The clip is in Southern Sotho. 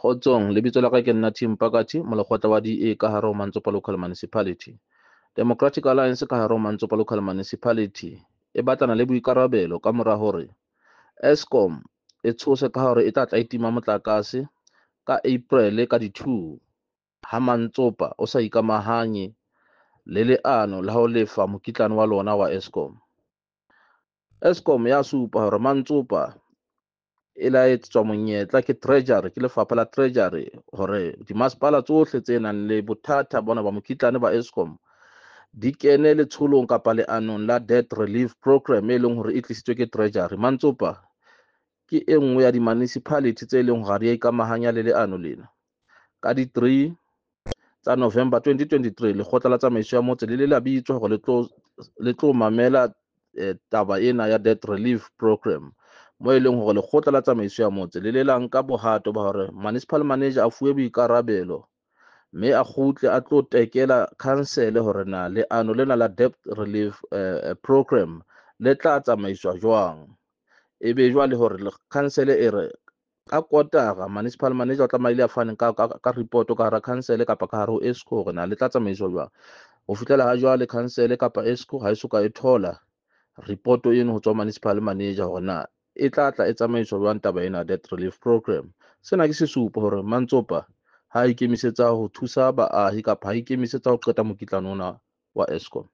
Kgotsong, lebitso la ka ke nna Tim Pakati, molekgotla wa DA ka hare ho Mantsopa Local Municipality. Democratic Alliance ka hare ho Mantsopa Local Municipality e batlana le boikarabelo ka mora hore Eskom e tshose ka hore e tla tla e tima motlakase ka April ka di-2 ha Mantsopa o sa ikamahanye le leano la ho lefa mokitlane wa lona wa Eskom. Eskom ya supa hore Mantsopa e la etsetswa monyetla ke Treasury, ke lefapha la Treasury hore dimasepala tsohle tse nang le bothata bona ba mokitlane ba Eskom di kene letsholong kapa leanong la debt relief program e leng hore e tlisitswe ke Treasury. Mantsopa ke e nngwe ya di-municipality tse leng hore ha di a ikamahanya le leano lena. Ka di-3 tsa November 2023, lekgotla la tsamaiso ya motse le ile la bitswa hore le tlo mamela taba ena ya debt relief program, mo e leng hore lekgotla la tsamaiso ya motse le le la nka bohato ba hore municipal manager a fuwe boikarabelo mme a kgutle a tlo tekela council hore na leano lena la debt relief program le tla tsamaiswa jwang. Ebe jwale hore council e re ka kotara municipal manager o tlamehile a fane ka report ka hara council kapa ka hare ho ESCO hore na le tla tsamaiswa jwang. Ho fihlela ha jwale council kapa ESCO ha e soka e thola report eno ho tswa municipal manager hore na e tla tla e tsamaiswa jwang taba ena debt relief program. Sena ke sesupo hore Mantsopa ha ikemisetsa ho thusa baahi kapa ha ikemisetsa ho qeta mokitlane ona wa Eskom.